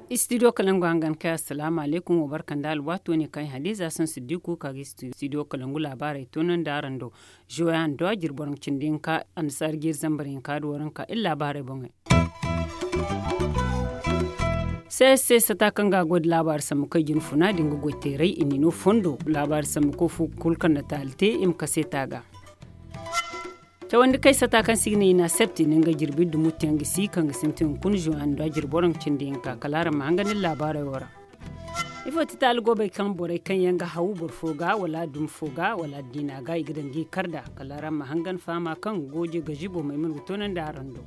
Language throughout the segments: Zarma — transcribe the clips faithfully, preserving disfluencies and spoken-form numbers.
Istidiyo kalangu hangan kay, assalaamu alaykum, wa barka nda alwaato ne kaŋ ay hadiza saŋ siddiku ka ga istidiyo kalangu laabaarey toonandi araŋ do. Zuwe hando a jirbi boro cindi hinka annasaara jiiri zambar hinka da waranka iri laabaarey boŋey. C S C sata kaŋ ga a goy da laabaari sambu kaŋ i jin funa din ga goy teeray i n'i no fondo laabaari sambu kaŋ fu kulu kaŋ na taali te i ma kase ta ga. Cawandi kay sata kaŋ se i ga ne i na septi ni nga jirbi dumuttiyaŋ ga si kaŋ ga sintin hunkuna zuwe hando a jirbi boro cindi hinka kala araŋ ma hangan iri laabaarey wo ra. Ifo ti taali goobey kaŋ borey kaŋ yaŋ ga haw boro fo ga wala dumi fo ga wala diina ga i ga daŋ ga i kar nd'a kala araŋ ma hangan fahama kaŋ gooje gazibo maymuna ga toonandi araŋ do.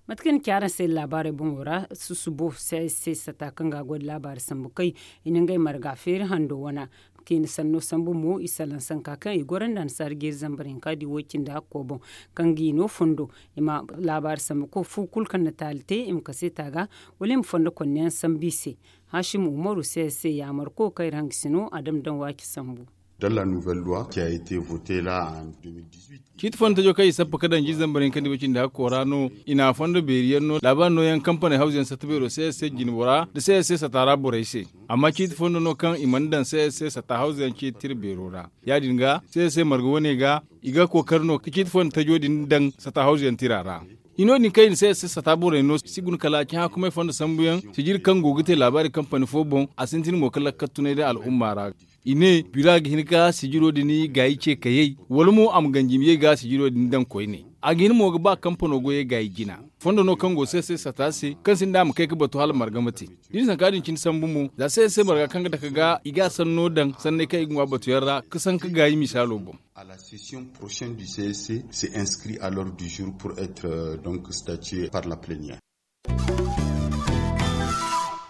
Mate kaŋ i na ci araŋ se laabaarey boŋo ra susubo se sata kaŋ ga a goy nda laabaari sambu kay i na ngey marga feeri hando wana. Kaŋ i na sanno sambu mo i salaŋ sanka kaŋ i goro nda annasaara jeeri zambar hinka da i woy cindi hakko boŋ kaŋ ga i no fondo i ma laabaari sambu kaŋ fu kulu kaŋ na taali te i ma kase ta ga wala i ma fondo konneyaŋ sambu i se. Haasim umaru se se yaamarko kaŋ iri hangasino a dama daŋ waaci sambu. Dans la nouvelle loi qui a été votée là en deux mille dix-huit. Ciiti fondo tajo kaŋ i sappa ka daŋ jiiri zambar hinka nda i woy cindi hakko ra no i na a fondo beeri yaŋ no laabaari nooyaŋ kampaney hawzu yaŋ satta beero se se jinbo ra nda se se sata ra borey se. Amma ciiti fondo no kaŋ i mana daŋ se se sata hawzu yaŋ ciiti tira beero ra. Ya- din ga se se marga wane ga i ga kookari no ka ciiti fondo tajo din daŋ sata hawzu yaŋ tira ra. Hino din kaŋ i na se se sata borey no si guna kala cahã kumay fondo sambu yaŋ sijiri kaŋ go ga te laabaari kampani fo boŋ a sintin mo ka lakkal tunay day al'umma ra. I ne bira ga hin ka sijiro din gaayi ce kayey wala mo a ma ganji ma ye ga sijiro din daŋ koyne. A ga hin mo ga ba kampano goyey gaayi jina. Fondo no kaŋ go se se sata se kaŋ sinda a ma kay ga batu hala marga ma te. Da i na sanka din cine sambu mo za se se marga kaŋ ga dake ga i ga a sanno daŋ sanney kaŋ i ga ŋwa batu yaŋ ra ka sanka gaayi misaalo boŋ. À la session prochaine du C S C, s'est inscrit à l'ordre du jour pour être donc statué par la plénière.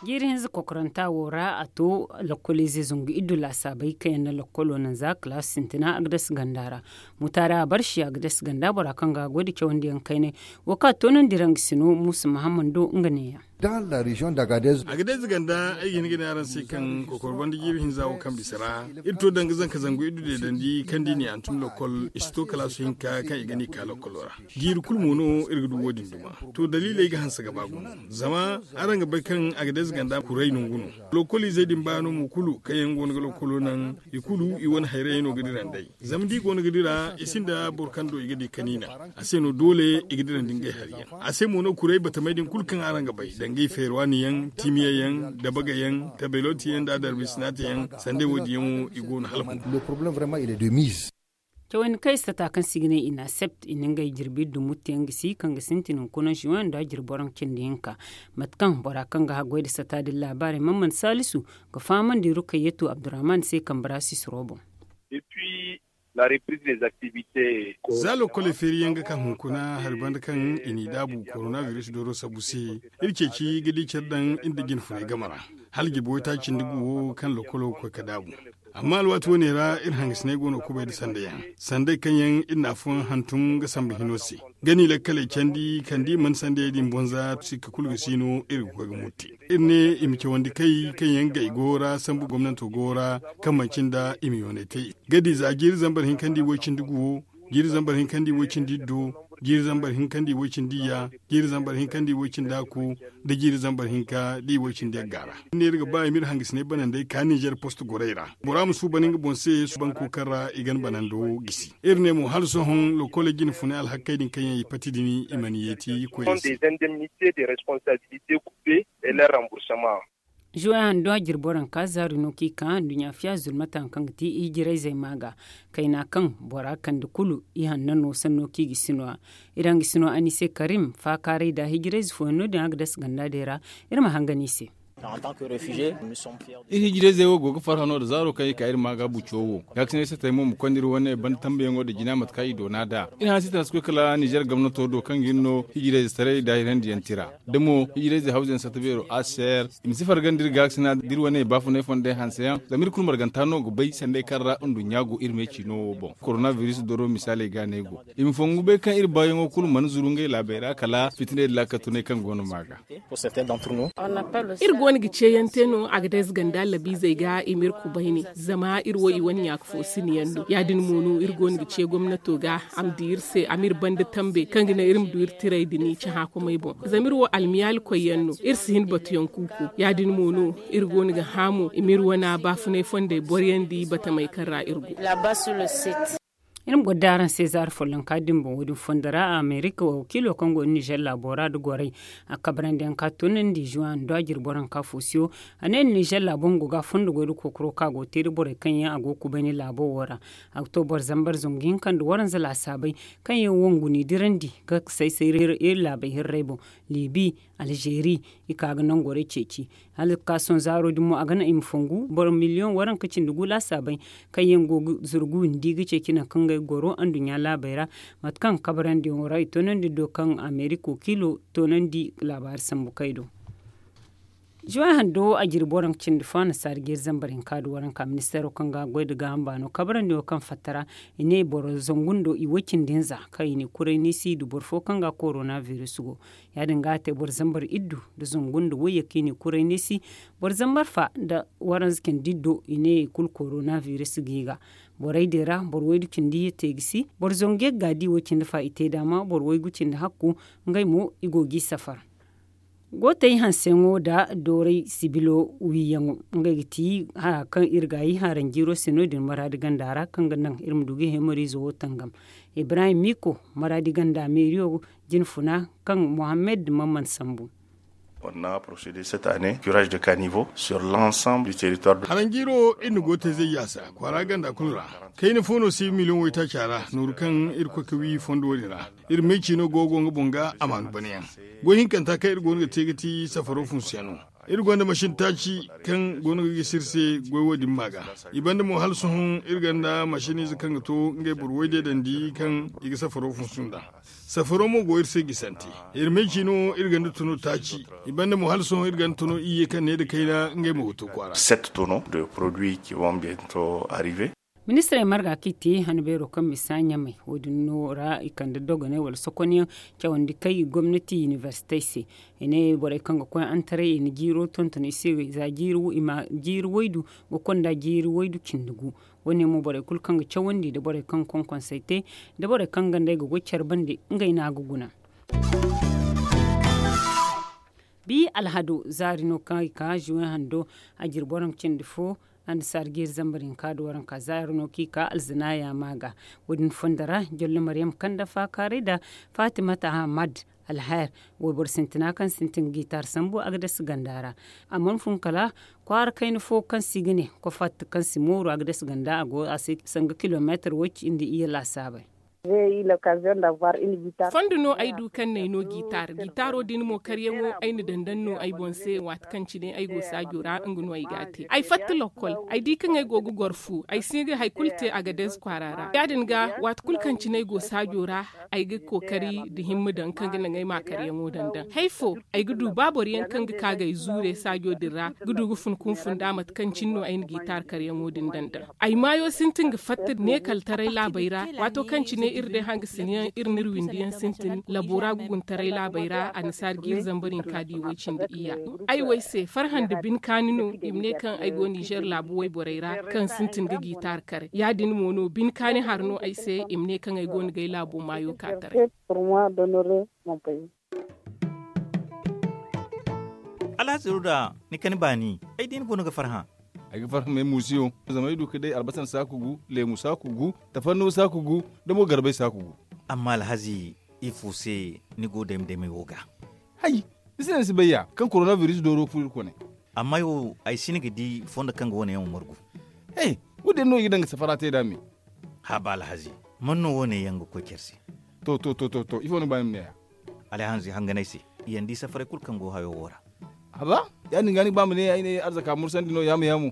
Jiiri hinza kokoranta wo ra a to lakkoliizey zangu iddu laasaabey kaŋ yaŋ na lakkolo naŋ za kalaasi sintina agdas ganda ra. Mutaari a barsi agdas ganda bora kaŋ ga a goy nda cawandiyaŋ kaynay wo kaŋ a toonandi ra nga sino muusa mahammad do nga neeya. Agades ganda ay ga hin ga ne araŋ se kaŋ kokoro banda jiiri hinza wo kaŋ bisa ra iri to danga zanka zangu iddu deedandi kaŋ da i n'i hantum lokol i si to kalaasu hinka kaŋ i ga n'i ka lokolo ra. Jiiri kulu mo no iri ga du wo- din duma. To daliiley ga hanse ga ba gumo zama araŋ ga bay kaŋ agades ganda kuray nangu no. Lokoliizey din baano mo kulu kaŋ yaŋ go no ga lokolo naŋ i kulu i wane hayrayey no ga dira nd'ey. Zama da i go no ga dira i sinda boro kaŋ do i ga di kaniina. A se no doole i ga dira nda ngey hari yaŋ. A se mo no kuray batamey din kulu kaŋ araŋ ga bay danga i feerwaani yaŋ, timiya yaŋ, dabaga yaŋ, tabeloti yaŋ nda adarbi sinaate yaŋ sanda wo- din yaŋ wo i go no hala hungu. Cawandi kaŋ i sata kaŋ se i ga ne i na a sept i na ngey jirbi dumuttiyaŋ ga si kaŋ ga sintin hunkuna ziwaŋ nda jirbi boro cindi hinka. Mate kaŋ bora kaŋ ga haggoy nda sata din laabaarey man man saalisu ga fahamandi rukayyatu abdurrahman se kambe ra sisiro boŋ. Za lokole feeri yaŋ ga ka hunkuna hari banda kaŋ i n'i daabu korona biris dooro sabu se, iri ceeci ga di care daŋ iri nda jinfunay game ra. Hala jirbi waytaaci nda gu wo kaŋ lokolo ga koy ga daabu. Amma alwaati wane ra iri hangasinay go no kubay nda sanda yaŋ, sanday kaŋ yaŋ iri na afooyaŋ hantum ga sambu hino se. Ga ni lakkaley candi kala da i mana sandayey din bonza sikka kulu ga si no iri ga koy ga mutti. Iri ne i ma cawandi kay kaŋ yaŋ ga i go ra sambu gomnanto go ra kaŋ manci nda i ma yoonay te. Ga di za jiiri zambar hinka nda i woy cindi gu wo, jiiri zambar hinka nda i woy cindi iddo, jiiri zambar hinka nda i woy cindi iyya, jiiri zambar hinka nda i woy cindi hakku, nda jiiri zambar hinka nda i woy cindi yagga ra. Iri ne iri ga ba i ma iri hangasinay banandey ka ninzeer post gorey ra. Bora ma suuban nga boŋ se suuban kuukaŋ ra i gan banando gisi. Iri ne mo hala sohõ lokole jine funay alhakkey din kaŋ yaŋ i pati din i mana yeeti koyey se. Zuwe hando a jirbi waranka zaari no kaŋ i ka nduɲɲa fiya zulmata hari kaŋ ga ti hijirayzey ma ga. Kayna kaŋ bora kande kulu i hanna no sanno kaŋ i ga si no- ya. Iri hangasino anise karim faakaaray nda hijirayze fooyaŋ no- din a ga dasa ganda day ra. Iri ma hangan i se. Iri hijirayzey wo go ga farhã no nda zaaro kaŋ i ka iri ma ga buco wo. Gaakisinay satey mo ma konda iri wane banda tambayaŋo nda jina mate kaŋ i doona nd'a. Iri hanse tana si koy kala nizeer gomnato do kaŋ ga hin no hijirayze taray nda hirayandiyaŋ tira da mo hijirayze hawzayaŋ satta beero a ser. I ma si farga nda iri gaakasina da iri wane baafunay fondey hanseyaŋ zama iri kulu marganta no ga bay sanday kaŋ ra nduɲɲa go iri me ciino wo boŋ korona biris doro misaaley ga no ay go. I ma fongu bay kaŋ iri baayaŋo kulu mana zuru ngey laabey ra kala fitiney nda laakatunay kaŋ go no ma ga. Iri go Wane ga ceeyaŋ te no a ga day zaganda labiizey ga i ma iri kubayni. Zama iri wo i wane ɲaaka fo siniyaŋ no ya- din mo no iri go no ga ce gomnato ga a ma di iri se a ma iri banda tambe kaŋ ga naŋ iri ma du iri tiray din i cahã komey boŋ. Zama iri wo almiyaali koyyaŋ no iri si hin batuyaŋ kuuku. Ya- din mo no iri go no ga hã mo i ma iri wane baafunay fondey boroyandi batamey kaŋ ra iri go. Iri ma goro da araŋ se zaari follonka din boŋ wo- din fondo ra amerika wakiilo kaŋ go nizer laabo ra nda gorey a kabrandi yaŋ ka toonandi zuwa nda a jiri boro yaŋ ka foosiyo. A ne nizer laabo nga go ga a fondo goy nda kookaro kaŋ a go ga te nda borey kaŋ yaŋ a go ga kubayni laabo wo ra. A ga to boro zambar zangu hinka nda waranza laasaabey kaŋ yaŋ wangu n'i dirandi ga say say iri laabey hirrey boŋ, libi, alzeeri, i ka ga nangorey ceeci. Hala ga ka sohõ zaaro din mo a ga naŋ i ma fongu boro miliyoŋ waranka cindi gu laasaabey kaŋ yaŋ go ga zurgu windi ga ceeci nangu kaŋ ngey ga goro anduɲɲa laabey ra. Mate kaŋ kabarandiyaŋo ra i toonandi do kaŋ amerika wakiilo toonandi laabaari sambu kay do. Zuway hando a jiri boro yaŋ cindi fo annasaara jeeri zambar hinka nda waranka ministeero kaŋ ga goy nda gaaham baano kabarandiyaŋo kaŋ fatta ra. I ne boro zangu nda i way cindi hinza kaŋ i n'i kuray neesi i du boro fo kaŋ ga korona biris go. Ya- din ga a te boro zambar iddu nda zangu nda wayye kaŋ i n'i kuray neesi. Boro zambar fa nda waranza cindi iddo i ne i kulu korona biris ga i ga. Borey din ra boro waydu cindi iyye te ga si boro zangu ye ga di way cindi fa i te daama boro waygu cindi hakku. Ngey mo i go g'i safar. Gootey hanseyaŋo nda dooray sibilo wiiyaŋo ngey ga ti hara kaŋ iri ga ay haranjiiro se no- din maraadi ganda ra kaŋ ga naŋ iri ma du ga hemoriizo wo tangam. Ibrahim miiko maraadi ganda meeriyo jinfuna kaŋ mohammed mamman sambu. Haranjiiro iri na gootey zay yaasa kwaara ganda kulu ra. Kayna fo no si miliyoŋ waytaaca ra nooru kaŋ iri koy ga wi fondo wo- din ra. Iri meeciino go go nga boŋ ga amaanu banayaŋ. Goy hinkanta kaŋ iri go no ga te ga ti safaro funsuyaŋ no. Iri gonda masin taaci kaŋ go no ga gisi iri se goy wo- din ma ga. I banda mo hala sohõ iri gonda masiniize kaŋ ga to ngey boro waydiyo dandi kaŋ i ga safaro funsu nd'a. Safaro mo go iri se gisante. Iri meeciino iri gonda tono taaci. I banda mo hala sohõ iri gonda tono iyye kaŋ ne nda kayna ngey mo ga to kwaara. Ministirey marga kaŋ i te han beero kaŋ misa ɲamey wo- din no ra i kande dogoney wala sokonyaŋ cawandi kay gomnati inibersitey se. I ne borey kaŋ ga koy antaray i na jiiro tonton i se za jiiri waydu ga konda jiiri waydu cindi gu. Wo- ne mo borey kulu kaŋ ga cawandi nda borey kaŋ ga konkonsey te nda borey kaŋ ga nda ay ga goy care bande ngey no a ga guna. Bi alhado zaari no kaŋ i ka zuwe hando a jiri boro ma cindi fo. Annasaara jiiri zambar hinka nda waranka zaari no kaŋ i ka alzina yaama ga. Wo- din fondo ra jollo maryam kanda faakaaray nda fatimata ahmad alhayr wayboro sintina kaŋ sintin ga giitaar sambu a ga dasa ganda ra. A mana fun kala kwaara kayna fo kaŋ se i ga ne kofatta kaŋ si mooru a ga dasa ganda a go a se sanga kilomeetar way cindi iyye laasaabey. Fondo no ay du kaŋ no ay no giitaar giitaaro din mo karyaŋo ay na dandan no ay boŋ se waati kaŋ cine ay go saajo ra nga no ay ga a te ay fatta lokkol ay di kaŋ ay go ga goro fu ay si ga hari kulu te a ga deeze kwaara ra ya- din ga waati kulu kaŋ cine ay go saajo ra. Ay ga kookari nda himma daŋ kaŋ ga naŋ ay ma karyaŋo dandan hari fo ay ga du ba boro yaŋ kaŋ ga ka ga ay zuure saajo din ra ga du ga fun kunfun nda mate kaŋ cine no ay na giitaar karyaŋo din dandan. Ay maayo sintin ga fatta ne kala taray laabey ra waato kaŋ cine iri day hangasinayaŋ iri n'iri windiyaŋ sintin labo ra ga guna taray laabey ra annasaara ga iri zambar hinka di way cindi iyya. Ay wo ay se farhã nda bine kaani no i ma ne kaŋ ay go nizer laabu wayborey ra kaŋ sintin ga giitaar kare ya- din mo no bine kaani hari no ay se i ma ne kaŋ ay go no ga ay laabo maayo ka taray. Alhazi ruda ni kani baani ay di ni boŋ ga farhã. Ay ga farhã may muusiyo zama ay du ga day albasan saaku gu leemu saaku gu tafanno saaku gu da mo garbay saaku gu. Amma alhazi ifo se ni go dayma daymay wo ga? Hay, ni se no ni si bay ya kaŋ korona biris dooro ga furo iri kone. Amma ay wo ay si ni ga di fondo kaŋ ga wane yaŋ wo margu. He, wo- din no i ga daŋ ga safara te nd'a me. Haba alhazi, man no wo- ne yaŋ ga koy care se? To to to to to ifo no ga ba ni ma ne ya? Alhazi hangan ay se, i yaŋ di safaray kulu kaŋ go hayo wo ra. Haba, ya- din ga ni ga ba ma ne ay ne arzaka mursandi no yaamo yaamo.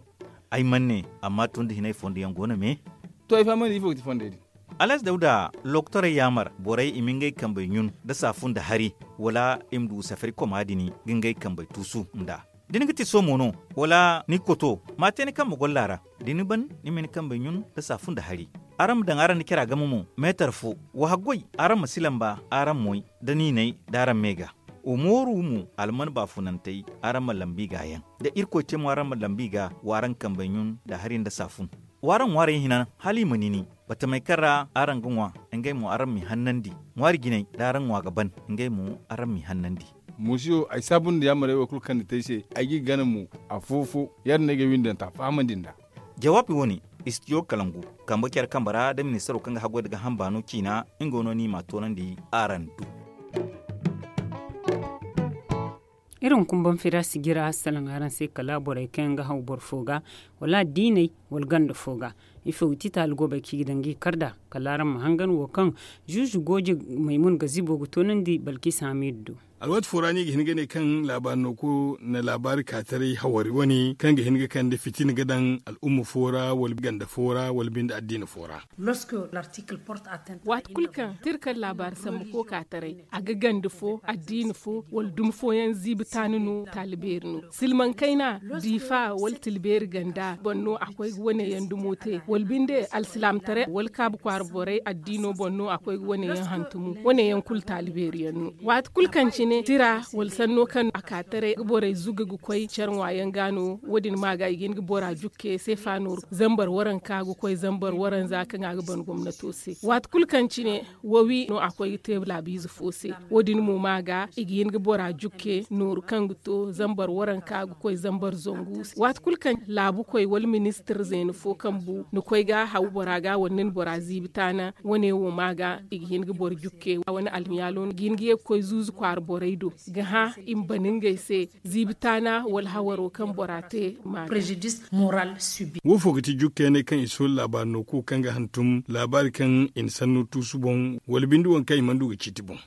Ay mana ne, amma tun da hinay fondo yaŋ go no me. To ay fahamandi ifo ga ti fondey din? Alhazi dawda lokotorey yaamar borey i ma ngey kambey ɲun nda saafu nda hari, wala i ma du safari koma din ga ngey kambey tuusu nd'a. Da ni ga ti soomo no, wala ni ga koto ma a te ni kambe golla ra. Da ni ban ni ma ni kambey ɲun nda saafu nda hari. Araŋ ma daŋ araŋ nda cara game mo meetar fo. Wa haggoy araŋ ma si lamba araŋ moy da niinay da araŋ me ga. Wa mooru mo alman baafunantey, araŋ ma lambu i ga yaŋ. Da irkoy te mo araŋ ma lambu i ga, wa araŋ kambey ɲun nda hari nda saafun. Wa araŋ ŋwaarey hina hala i ma nini, batamey kaŋ ra araŋ ga ŋwa, ngey mo araŋ m'i hannandi. Ŋwaari jinay da araŋ ŋwa ga ban, ngey mo araŋ m'i hannandi. Muusiyo ay saabu nda yaamarey wo kulu kaŋ ni te ay se, ay g'i gana mo. Afo-fo yaadin no ay ga ay windanta fahamandi nd'a. Jawaabi wo-ne, istidiyo kalangu, kambe care kambe ra da ministaro kaŋ ga haggoy nda gaaham baano ciina, nga no ni m'a toonandi araŋ du. Iri hunkuna boŋ fira sijira salaŋ araŋ se kala borey kaŋ yaŋ ga haw boro fo ga, wala addiiney, wala ganda fo ga. Ifo ga ti taali goobey kaŋ i ga daŋ ga i kar nd'a? Kala araŋ ma hangan wo kaŋ zuuzu gooje, maymun gazibo ga toonandi balkis hamidu do. Alwaati fo ra no i ga hin ga ne kaŋ laabaari no ko na laabaari kaataray hawari wane kaŋ ga hin ga kande fitina ga daŋ al'umma fo ra wala ganda fo ra wala binde addiina fo ra. Waati kulu kaŋ tira kaŋ laabaari sambu ko kaataray, a ga ganda fo, addiina fo, wala dumi fooyaŋ ziibi taani no taali beeri no. Silmaŋ kayna, diifa wala tilbeeri ganda boŋ no a koy ga wane yaŋ dumo te wala binde alsilaamataray wala kaabu kwaara borey addiino boŋ no a koy ga wane yaŋ hantumu. Wane yaŋ kulu taali beeri yaŋ no. Waati kulu kaŋ cine tira wala sanno kaŋ a ka taray ga borey zuga ga koy care ŋwa yaŋ ga no. Wo- din ma ga i ga hin ga bora jukke seefa nooru zambar waranka ga koy zambar waranza kaŋ a ga ban gomnato se. Waati kulu kaŋ cine wawi no a koy ga te laabiize fo se. Wo- din mo ma ga i ga hin ga bora jukke nooru kaŋ ga to zambar waranka ga koy zambar zangu se. Waati kulu kaŋ laabukoy wala ministir zeena fo kaŋ bu ni koy ga haw bora ga wala ni na bora ziibi taana, wane wo ma ga i ga hin ga boro jukke wane almiyaalo no ga hin ga ye ga koy zuuzu kwaara borey do ga hã i ma ban ngey se. Ziibi taana wala hawaro kaŋ bora te ma ga. Wo fo ga ti jukkayaney kaŋ i soola laabaari no kuukaŋ ga hantum laabaari kaŋ i na sanno tuusu boŋ wala binde waŋ kaŋ i mana du ga ciiti boŋ?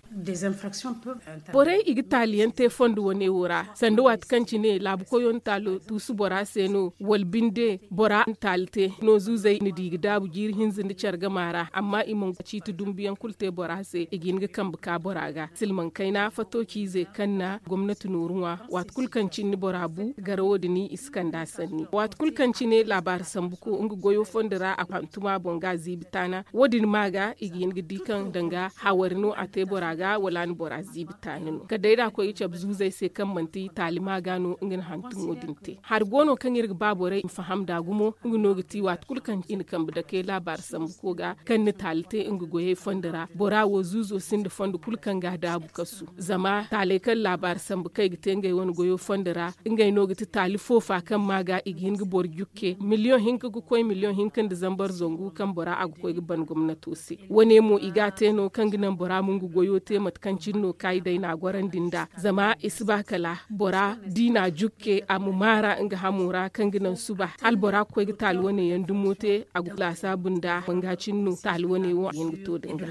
Borey i ga taali yaŋ te fondo wane wo ra sanda waati kaŋ cine laabu koyo na taalo tuusu bora se no wala binde bora na taali te no zuuzey na di ga daabu jiiri hinza nda care gama ra amma i mana ga ciiti dumbu yaŋ kulu te bora se i ga hin ga kambe ka bora ga silmaŋ kayna fato ciizey kaŋ na gomnati nooru ŋwa. Waati kulu kaŋ cine bora bu garawo din i si kand'a sanni waati kulu kaŋ cine laabaari sambu ko nga goyo fondo ra a hantum a boŋ ga a ziibi taana wo- din ma ga i ga hin ga di kaŋ danga hawari no a te bora ga wala a na bora ziibi taani no kala day da a koy ga cabe zuuzey se kaŋ manti taali ma ga no nga na hantumo din te hari go no kaŋ iri ga ba borey i ma faham nd'a gumo nga no ga ti waati kulu kaŋ i na kambe dake laabaari sambu ko ga kaŋ na taali te nga goyey fondo ra bora wo zuuzo sinda fondo kulu kaŋ ga a daabu kasu zama taaley kaŋ laabaari sambu kaŋ i ga te ngey wane goyo fondo ra ngey no ga ti taali foofa kaŋ ma ga i ga hin ga boro jukke miliyoŋ hinka ga koy miliyoŋ hinka nda zambar zangu kaŋ bora a ga koy ga ban gomnato se. Wane mo i ga a te no kaŋ ga naŋ bora ma nga goyo te mate kaŋ cine no kaayidey na a gorandi nd'a zama i si ba kala bora da i na a jukke a ma maara nga hamo ra kaŋ ga naŋ suba hala bora ga koy ga taali wane yaŋ dumo te a ga laasaabu nda manga cine no taali wane wo a ga hin ga to da nga.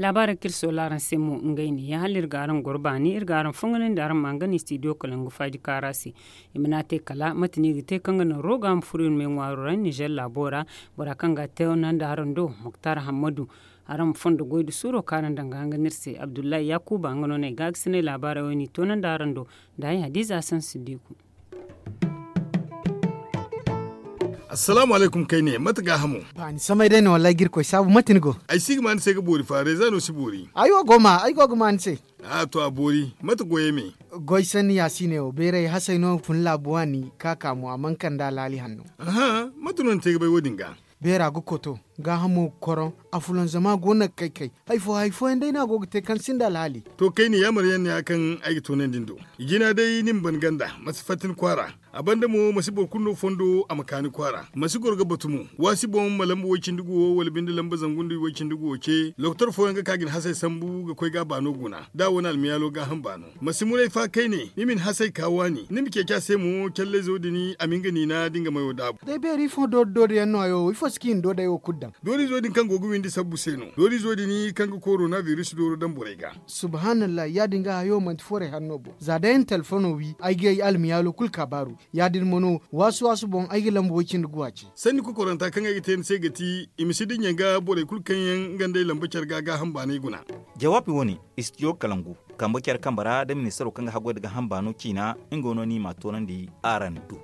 Laabaarey kaŋ iri soola araŋ se mo ngey ne ya hala iri ga araŋ goro baani iri ga araŋ fonganandi araŋ ma nga no istidiyo kalangu faaji kaara se. I mana te kala mate no i ga te kaŋ ga naŋ roga ma furo iri me ŋwaaro ra nizer laabo ra. Bora kaŋ ga a te nandi araŋ do moktar hammadu. Araŋ ma fondo goy da suuro kaŋ araŋ daŋ ga hangan iri se abdullahi yaakuba nga no no ay gaagasinay laabaarey wo no i toonandi araŋ do. Nda ay hadiza sansidiku. Assalaamu alaykum kayne mate gaahamo? Ba ni samay day no wallahi ga irkoy saabu mate ni go? Ay si ga ma ni se ga boori fa reeza no si boori. Ay wo go ma ay go ga ma ni se. A to a boori mate goyey me? Goy sanni ya si ne wo beeray hasay no fun laabu waani ka ka mo a mana kande alhaali hanno. Aha, mate no ni te ga bay wo- din ga? Beera ga koto, gaahamo ga koroŋ, afulanzama go no ga kay-kay. Hari fo hari fooyaŋ day no a go ga te kaŋ sinda alhaali. To kayne yaamar yaŋ no ya kaŋ ay ga toonandi ni do. Jina day ni ma ban ganda ma si fatta ni kwaara. A banda mo ma si boro kulu no fondo a ma ka ni kwaara ma si goro ga batu mo. Waasi boŋ ma lamba way-cindi guwo wala binde lamba zangu nda way-cindi guwo ce lokotor fooyaŋ ga ka ga ni hasey sambu ga koy ga a baano guna da a wane almiyaalo gaaham baano. Ma si muray fa kayne ni ma ni hasey ka waani ni ma ceeci a se mo callayzo din a ma nga niina da nga mayo daabu. Day beeri ifo doori doori yaŋ no hayo wo ifo si ka i na doodey wo kulu daŋ? Doorizo din kaŋ go ga windi sabbu se no doorizo din kaŋ ga korona biris dooro daŋ borey ga. Subhanallah ya- din ga hayo manti forey hanno boŋ za day ay na telefono wi ay ga ay almiyaalo kulu kaabaaru. Ya- din mo no waasu waasu boŋ ay ga lamba way- cindi guwa ce. Sanni kokoranta kaŋ ay ga te ni se ga ti i ma si dinya ga borey kulu kaŋ yaŋ nga nd'ey lamba care ga gaaham baanay guna. Jawaabi wo- ne, istidiyo kalangu kambe care kambe ra da ministaro kaŋ ga haggoy nda gaaham baano ciina nga no no i m'a toonandi araŋ do.